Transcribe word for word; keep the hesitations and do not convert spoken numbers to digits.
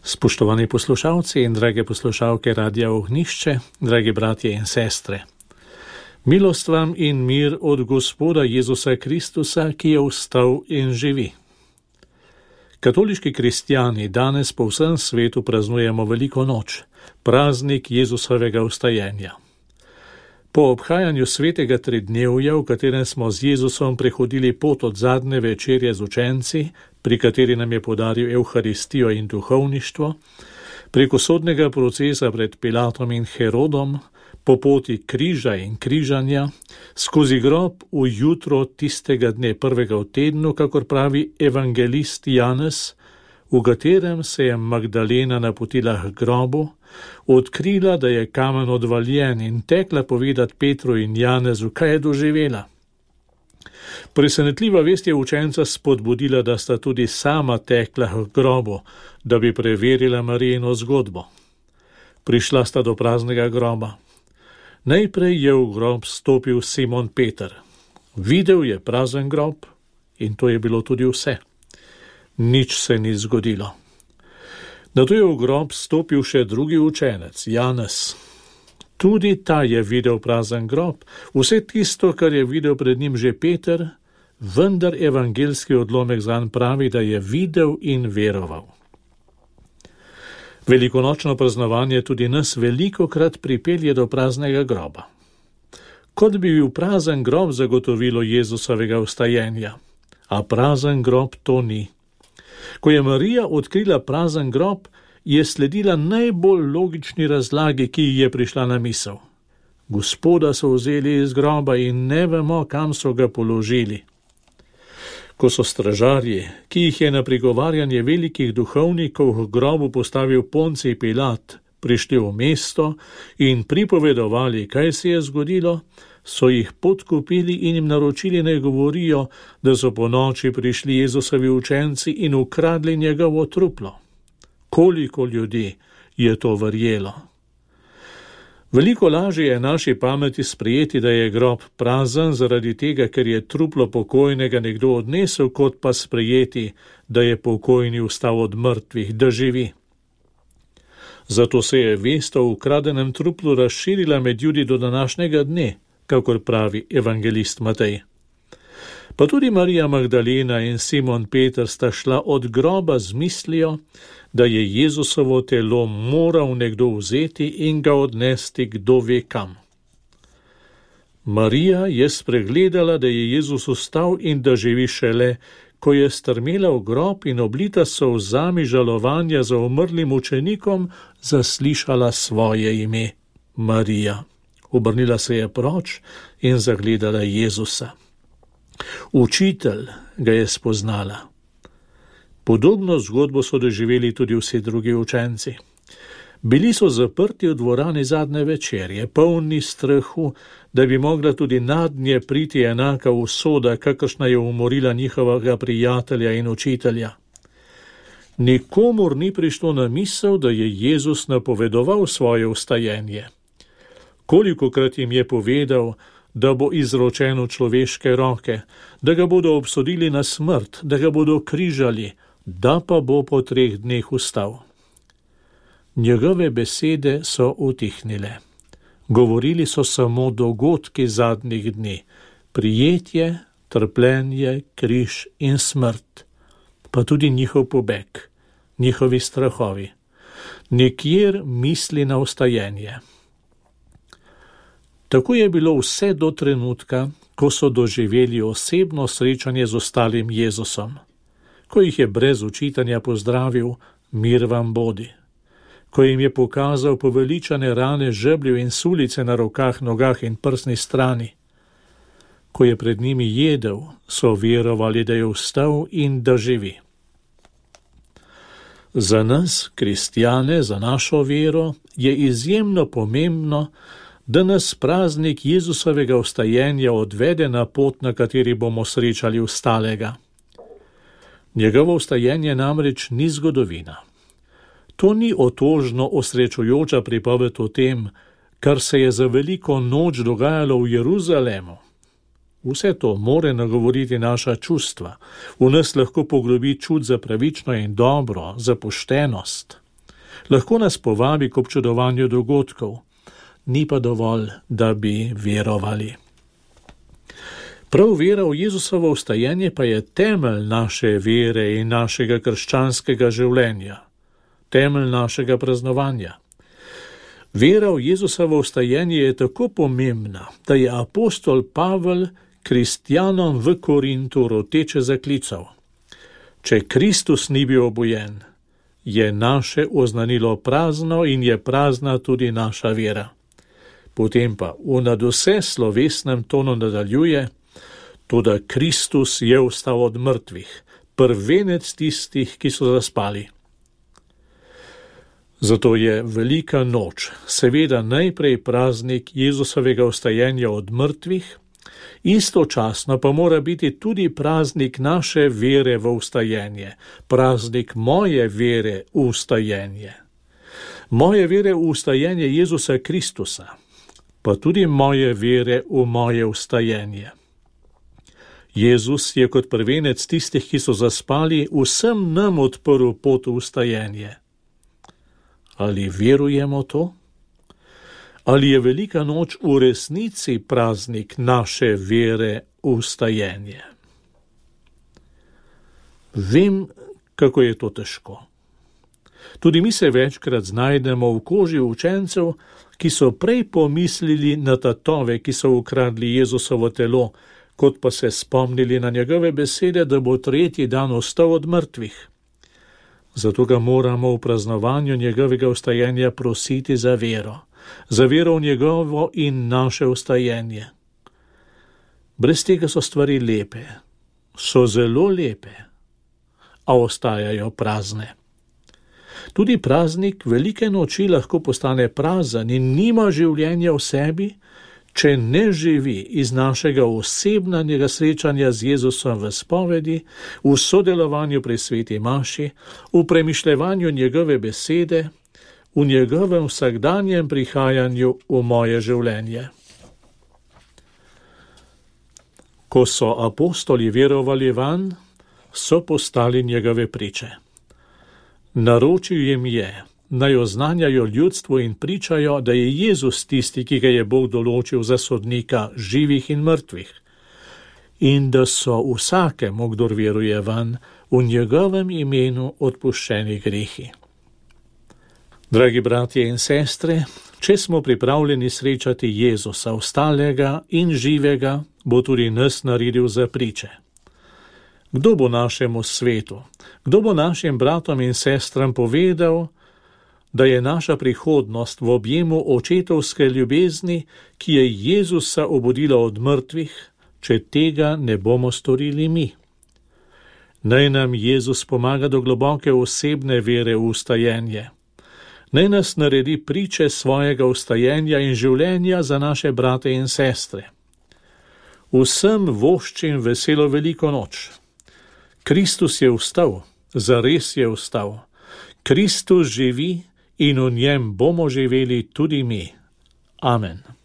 Spoštovani poslušalci in drage poslušalke Radia Ognjišče, dragi bratje in sestre. Milost vam in mir od Gospoda Jezusa Kristusa, ki je vstal in živi. Katoliški kristjani danes po vsem svetu praznujemo veliko noč, praznik Jezusovega vstajenja. Po obhajanju svetega tridnevja, v katerem smo z Jezusom prehodili pot od zadnje večerje z učenci, pri kateri nam je podaril Evharistijo in duhovništvo, preko sodnega procesa pred Pilatom in Herodom, po poti križa in križanja, skozi grob v jutro tistega dne prvega v tednu, kakor pravi evangelist Janez, v katerem se je Magdalena napotila k grobu, odkrila, da je kamen odvaljen in tekla povedati Petru in Janezu, kaj je doživela. Presenetljiva vest je učenca spodbudila, da sta tudi sama tekla k grobu, da bi preverila Marijino zgodbo. Prišla sta do praznega groba. Najprej je v grob stopil Simon Peter. Videl je prazen grob in to je bilo tudi vse. Nič se ni zgodilo. Nato je v grob stopil še drugi učenec, Janez. Tudi ta je videl prazen grob, vse tisto, kar je videl pred njim že Peter, vendar evangelski odlomek zanj pravi, da je videl in veroval. Velikonočno praznovanje tudi nas velikokrat pripelje do praznega groba. Kot bi bil prazen grob zagotovilo Jezusovega vstajenja, a prazen grob to ni. Ko je Marija odkrila prazen grob, je sledila najbolj logični razlagi, ki ji je prišla na misel. Gospoda so vzeli iz groba in ne vemo, kam so ga položili. Ko so stražarji, ki jih je na prigovarjanje velikih duhovnikov v grobu postavil Poncij Pilat, prišli v mesto in pripovedovali, kaj se je zgodilo, so jih podkupili in jim naročili, naj govorijo, da so po noči prišli Jezusovi učenci in ukradli njegovo truplo. Koliko ljudi je to verjelo? Veliko lažje je naši pameti sprejeti, da je grob prazen zaradi tega, ker je truplo pokojnega nekdo odnesel, kot pa sprejeti, da je pokojni vstal od mrtvih, da živi. Zato se je vest o ukradenem truplu razširila med Judi do današnjega dne, kakor pravi evangelist Matej. Pa tudi Marija Magdalena in Simon Peter sta šla od groba z mislijo, da je Jezusovo telo moral nekdo vzeti in ga odnesti kdo ve kam. Marija je spregledala, da je Jezus vstal in da živi šele, ko je strmela v grob in oblita solzami žalovanja za umrlim učenikom zaslišala svoje ime, Marija. Obrnila se je proč in zagledala Jezusa. Učitelj ga je spoznala. Podobno zgodbo so doživeli tudi vsi drugi učenci. Bili so zaprti v dvorani zadnje večerje, polni strahu, da bi mogla tudi nadnje priti enaka usoda, kakršna je umorila njihovega prijatelja in učitelja. Nikomur ni prišlo na misel, da je Jezus napovedoval svoje vstajenje. Kolikokrat jim je povedal, da bo izročen v človeške roke, da ga bodo obsodili na smrt, da ga bodo križali, da pa bo po treh dneh vstal. Njegove besede so utihnile. Govorili so samo dogodki zadnjih dni, prijetje, trpljenje, križ in smrt, pa tudi njihov pobeg, njihovi strahovi. Nikjer misli na vstajenje. Tako je bilo vse do trenutka, ko so doživeli osebno srečanje z ostalim Jezusom, ko jih je brez učitanja pozdravil, mir vam bodi, ko jim je pokazal poveličane rane žebljev in sulice na rokah, nogah in prsni strani, ko je pred njimi jedel, so verovali, da je vstal in da živi. Za nas, kristjane, za našo vero, je izjemno pomembno, da nas praznik Jezusovega vstajenja odvede na pot, na kateri bomo srečali vstalega. Njegovo vstajenje namreč ni zgodovina. To ni otožno osrečujoča pripoved o tem, kar se je za veliko noč dogajalo v Jeruzalemu. Vse to more nagovoriti naša čustva, v nas lahko poglobi čut za pravično in dobro, za poštenost. Lahko nas povabi k občudovanju dogodkov, ni pa dovolj, da bi verovali. Prav vera v Jezusovo vstajenje pa je temelj naše vere in našega krščanskega življenja, temelj našega praznovanja. Vera v Jezusovo vstajenje je tako pomembna, da je apostol Pavel kristjanom v Korintu roteče zaklical: Če Kristus ni bil obojen, je naše oznanilo prazno in je prazna tudi naša vera. Potem pa v nadvse slovesnem tonu nadaljuje: Toda Kristus je vstal od mrtvih, prvenec tistih, ki so zaspali. Zato je velika noč seveda najprej praznik Jezusovega vstajenja od mrtvih, istočasno pa mora biti tudi praznik naše vere v vstajenje, praznik moje vere v vstajenje. Moje vere v vstajenje Jezusa Kristusa, pa tudi moje vere v moje vstajenje. Jezus je kot prvenec tistih, ki so zaspali, vsem nam odprl pot v vstajenje. Ali verujemo to? Ali je velika noč v resnici praznik naše vere v vstajenje? Vem, kako je to težko. Tudi mi se večkrat znajdemo v koži učencev, ki so prej pomislili na tatove, ki so ukradli Jezusovo telo, kot pa se spomnili na njegove besede, da bo tretji dan vstal od mrtvih. Zato ga moramo v praznovanju njegovega vstajenja prositi za vero, za vero v njegovo in naše vstajenje. Brez tega so stvari lepe, so zelo lepe, a ostajajo prazne. Tudi praznik velike noči lahko postane prazen in nima življenja v sebi, če ne živi iz našega osebnega srečanja z Jezusom v spovedi, v sodelovanju pri sveti maši, v premišljevanju njegove besede, v njegovem vsakdanjem prihajanju v moje življenje. Ko so apostoli verovali vanj, so postali njegove priče. Naročil jim je, naj oznanjajo ljudstvu in pričajo, da je Jezus tisti, ki ga je Bog določil za sodnika živih in mrtvih, in da so vsakemu, kdor veruje vanj, v njegovem imenu odpuščeni grehi. Dragi bratje in sestre, če smo pripravljeni srečati Jezusa vstalega in živega, bo tudi nas naredil za priče. Kdo bo našemu svetu, kdo bo našim bratom in sestram povedal, da je naša prihodnost v objemu očetovske ljubezni, ki je Jezusa obudila od mrtvih, če tega ne bomo storili mi? Naj nam Jezus pomaga do globoke osebne vere v vstajenje. Naj nas naredi priče svojega vstajenja in življenja za naše brate in sestre. Vsem voščim veselo veliko noč. Kristus je vstal, zares je vstal. Kristus živi in v njem bomo živeli tudi mi. Amen.